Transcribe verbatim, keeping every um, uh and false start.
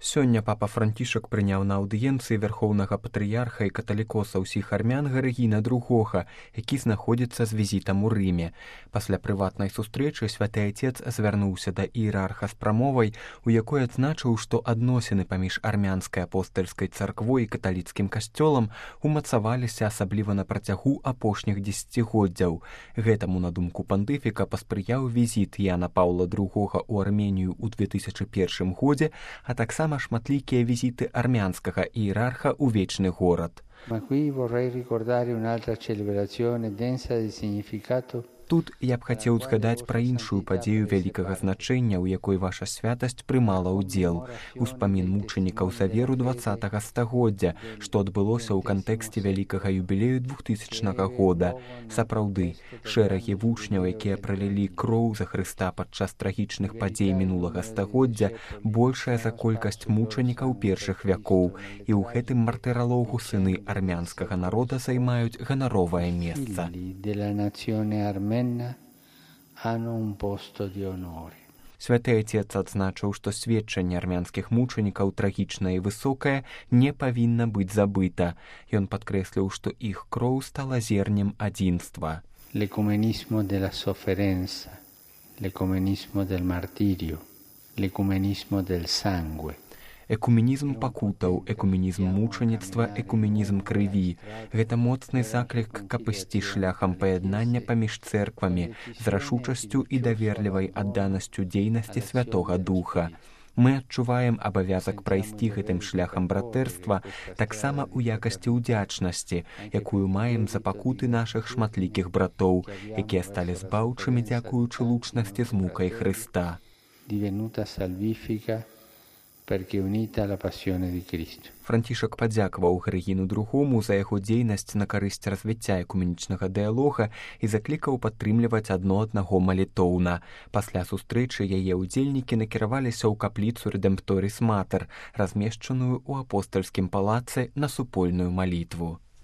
Сёння папа Францішак прыняў на аўдыенцыі вярхоўнага патрыярха і каталікоса ўсіх армян Гарыгіна другога, які знаходзіцца з візітам у Рыме. Пасля прыватнай сустрэчы святы айцец звярнуўся да іерарха з прамовай, у якой адзначыў, што адносіны паміж армянскай апостальскай царквой і каталіцкім касцёлам умацаваліся асабліва на працягу апошніх дзесяцігоддзяў. Гэтаму, на думку пантыфіка, паспрыяў візіт Яна Паўла другога ў Арменію ў две тысячы першым годзе, а таксама шматлікія візіты армянскага іерарха ў вечны горад. Ma qui vorrei ricordare un'altra celebrazione densa di significato. Тут я б хацеў згадаць пра іншую падзею вялікага значэння, у якой ваша святасць прымала ўдзел. Успамін мучанікаў за веру дваццатага стагоддзя, што адбылося ў кантэксце вялікага юбілею двухтысячнага года. Сапраўды, шэрагі вучняў, якія пралілі кроў за Хрыста падчас трагічных падзей мінулага стагоддзя, большая за колькасць мучанікаў першых вякоў, і ў гэтым мартыралогу сыны армянскага народа займаюць ганаровае месца. Святы айцец адзначыў, што сведчанне армянскіх мучанікаў трагічнае і высокае не павінна быць забыта. Ён падкрэсліў, што іх кроў стала зернем адзінства. L'ecumenismo della sofferenza, l'ecumenismo del martirio, l'ecumenismo del sangue. Экуменізм пакутаў, экуменізм мучаніцтва, экуменізм крыві. Гэта моцны заклік, каб ісці шляхам паяднання паміж цэрквамі з рашучасцю і даверлівай адданасцю дзейнасці Святога Духа. Мы адчуваем абавязак прайсці гэтым шляхам братэрства таксама ў якасці ўдзячнасці, якую маем за пакуты нашых шматлікіх братоў, якія сталі збаўчымі дзякуючы лучнасці з мукай Хрыста. Divenuta salvifica perché unita alla passione di Cristo. Францішак падзякаваў Гарыгіну другому за яго дзейнасць на карысць развіцця экуменічнага дыялога і заклікаў падтрымліваць адно аднаго малітоўна. Пасля сустрэчы яе ўдзельнікі накіраваліся ў капліцу Редемпторіс Матер, размешчаную ў апостальскім палацы на супольную малітву.